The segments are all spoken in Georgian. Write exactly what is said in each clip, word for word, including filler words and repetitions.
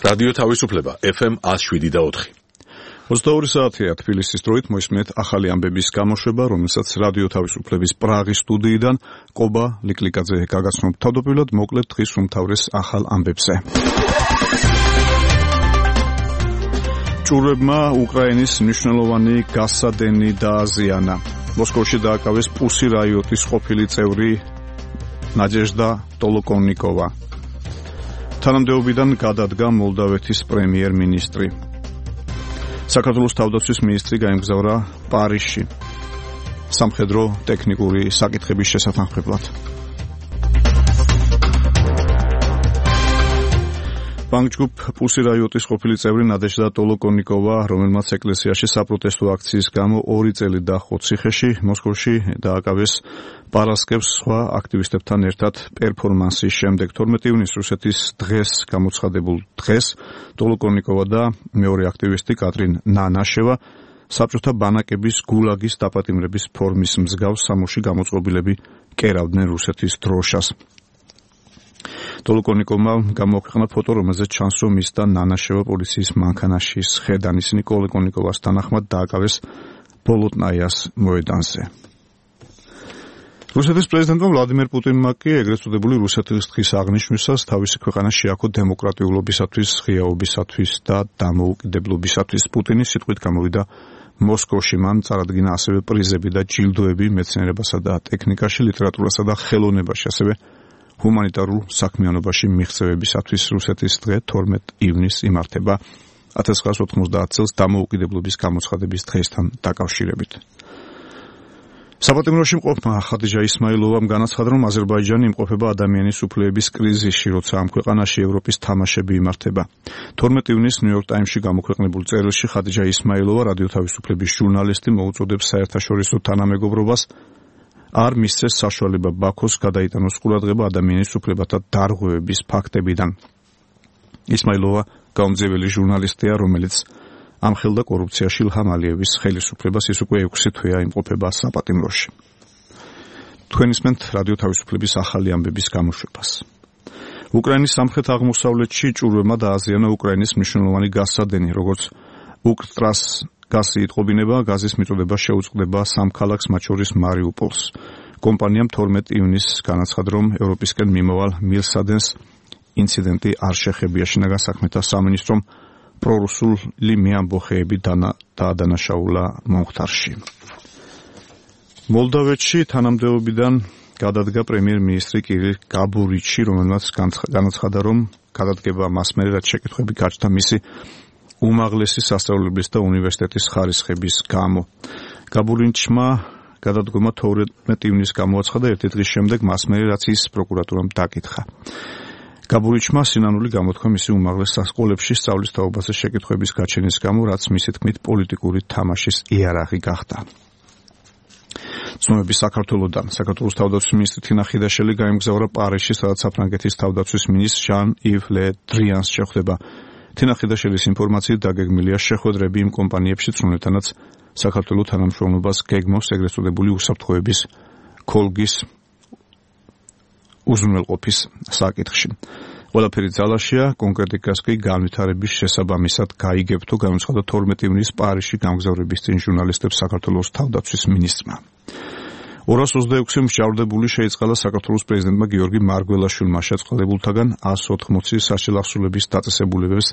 რადიო თავისუფლება ეფ ემ one oh seven და four. ოცდაორი საათია თბილისის დროით მოისმენთ ახალი ამბების გამოშვება, რომელსაც რადიო თავისუფლების პრაღის სტუდიიდან ყობა ლიკლიკაძე გაგაცნობთ. თავდაპირველად მოკლედ დღის უმთავრეს ახალ ამბებზე. ჭურვებმა უკრაინის მნიშვნელოვანი გასადენი დააზიანა. მოსკოვში დააკავეს პუსი რაიოტის ყოფილი წევრი ნაჯეჟდა ტოლოკონიკოვა. თანამდებობიდან გადადგა მოლდავეთის პრემიერ-მინისტრი. საქართველოს თავდაცვის მინისტრი გაემგზავრა პარიზში სამხედრო ტექნიკური საკითხების შესათანხმებლად. ბანკჯგუფ პუსი რაიოტის ყოფილი წევრი ნადეჟდა ტოლოკონიკოვა, რომელმაც ეკლესიაში საპროტესტო აქციის გამო ორი წელი დაჰყო ციხეში, მოსკოვში დააკავეს პარასკევს სხვა აქტივისტებთან ერთად პერფორმანსის შემდეგ. თორმეტი ივნისს რუსეთის დღეს გამოცხადებულ დღეს ტოლოკონიკოვა და მეორე აქტივისტი კატრინ ნანაშევა საბჭოთა ბანაკების გულაგის დაპატიმრების ფორმის მსგავს სამოში გამოწყობილები კერავდნენ რუსეთის დროშას. ტოლოკონიკოვმა გამოაქვეყნა ფოტო, რომელზეც ჩანს, რომ ის და ნანაშევა პოლიციის მანქანაში სხედან. ისინი ტოლოკონიკოვას თანახმად დააკავეს ბოლოტნაიას მოედანზე. რუსეთის პრეზიდენტმა ვლადიმერ პუტინმა კი ეგრეთ წოდებული რუსეთის დღის აღნიშვნისას თავისი ქვეყანა შეაქო დემოკრატიულობისათვის, ღიაობისათვის და დამოუკიდებლობისათვის. პუტინის სიტყვით გამოვიდა მოსკოვში, მან წარადგინა ასევე პრიზები და ჯილდოები მეცნიერებასა და ტექნიკაში, ლიტერატურასა და ხელოვნებაში, ასევე ჰუმანიტარულ საქმიანობაში მიღწევებისათვის. რუსეთის დღე თორმეტი ივნისს იმართება ათას ცხრაასი ოთხმოცდაათ წელს დამოუკიდებლობის გამოცხადების დღესთან დაკავშირებით. საპატიმროში მყოფმა ხადიჯა ისმაილოვამ განაცხადა, რომ აზერბაიჯანი იმყოფება ადამიანის უფლებების კრიზისში, როცა ამ ქვეყანაში ევროპის თამაშები იმართება. თორმეტი ივნისს ნიუ-იორკ ტაიმსში გამოქვეყნებულ წერილში ხადიჯა ისმაილოვა, რადიო თავისუფლების ჟურნალისტი, მოუწოდებს საერთაშორისო თანამეგობრობას არ მისცეს საშუალება ბაქოს გადაიტანოს ყურადღება ადამიანის უფლებათა დარღვევების ფაქტებიდან. ისმაილოვა გაუმძეველი ჟურნალისტია, რომელიც ამხელდა კორუფციაში ილჰამ ალიევის ხელისუფლებას, ის უკვე ექვსი თვეა იმყოფება საპატიმროში. თქვენ ისმენთ რადიო თავისუფლების ახალი ამბების გამოშვებას. უკრაინის სამხრეთ-აღმოსავლეთში ჭურვებმა დააზიანა უკრაინის მნიშვნელოვანი გასადენი, როგორც უკრტრას გაზი იტყობინება, გაზის მიწოდება შეუწყდება სამ ქალაქს, მათ შორის მარიუპოლს. კომპანიამ თორმეტი ივნისს განაცხადა, რომ ევროპისკენ მიმავალ მილსადენს ინციდენტი არ შეხებია. შინაგან საქმეთა სამინისტრომ პრორუსული მეამბოხეები დაადანაშაულა მომხდარში. მოლდავეთში თანამდებობიდან გადადგა პრემიერ-მინისტრი კირილ გაბურიჩი, რომელმაც განაცხადა, რომ გადადგება მას მერე, რაც შეკითხვები გაჩნდა მისი უმაღლესი სასწავლებლის და უნივერსიტეტის ხარისხების გამო. გაბურიჩმა გადადგომა თორმეტი ივნისს გამოაცხადა ერთი დღის შემდეგ, მას მერე, რაც ის პროკურატურამ დაკითხა. გაბურიჩმა სინანული გამოთქვა მისი უმაღლეს სასკოლებში სწავლის თაობაზე შეკითხვების გაჩენის გამო, რაც მისი თქმით პოლიტიკური თამაშის იარაღი გახდა. ცნობები საქართველოდან. საქართველოს თავდაცვის მინისტრი თინა ხიდაშელი გაემგზავრა პარიზში, სადაც საფრანგეთის თავდაცვის მინისტრ ჟან-ივ ლე დრიანს შეხვდება. თინა ხიდაშელის ინფორმაციით დაგეგმილია შეხვედრები იმ კომპანიებში, რომლებთანაც საქართველოს თანამშრომლობას გეგმავს ეგრეთ წოდებული უსაფრთხოების კოლგის უზრუნველყოფის საკითხში. ყველაფერი ძალაშია, კონკრეტიკას კი განვითარების შესაბამისად გაიგებთო, განაცხადა თორმეტი ივნისს პარიზში გამგზავრების წინ ჟურნალისტებს საქართველოს თავდაცვის მინისტრმა. ორას ოცდაექვსი მსჯავრდებული შეიწყალა საქართველოს პრეზიდენტმა გიორგი მარგველაშვილმა შეწყდებულთაგან ას ოთხმოცი სასჯელახსოვრების დაწესებულებებს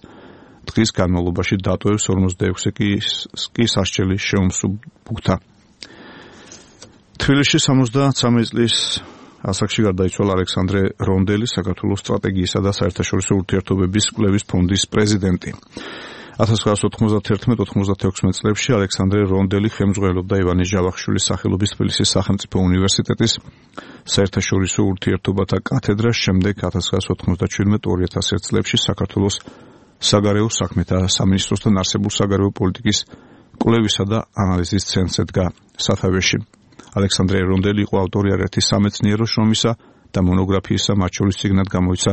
დღის განმავლობაში დატოვებს, ორმოცდაექვსი კი სასჯელი შეუმსუბუქდა. თბილისში სამოცდაცამეტ წლის ასაკში გარდაიცვალა ალექსანდრე რონდელი, საქართველოს სტრატეგიისა და საერთაშორისო ურთიერთობების კვლევის ფონდის პრეზიდენტი. ათას ცხრაასი ოთხმოცდათერთმეტ ოცდაათექვსმეტ წლებში ალექსანდრე რონდელი ხელმძღვანელობდა ივანე ჟავახიშვილის სახელობის თბილისის სახელმწიფო უნივერსიტეტის საერთაშორისო ურთიერთობათა კათედრას, შემდეგ ათას ცხრაასი ოცდაათმეტ ორი ათას ერთ წლებში საქართველოს საგარეო საქმეთა სამინისტროსთან არსებულ საგარეო პოლიტიკის კვლევისა და ანალიზის ცენტრს ედგა სათავეში. ალექსანდრე რონდელი იყო ავტორი არაერთი სამეცნიერო შრომისა და მონოგრაფიისა, მათ შორის წიგნად გამოიცა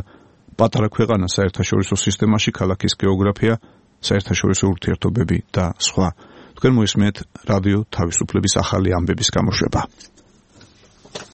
პატარა ქვეყანა საერთაშორისო სისტემაში, ქალაქის გეოგრაფია, საერთაშორისო ურთიერთობები და სხვა. თქვენ მოისმენთ რადიო თავისუფლების ახალი ამბების გამოშვება.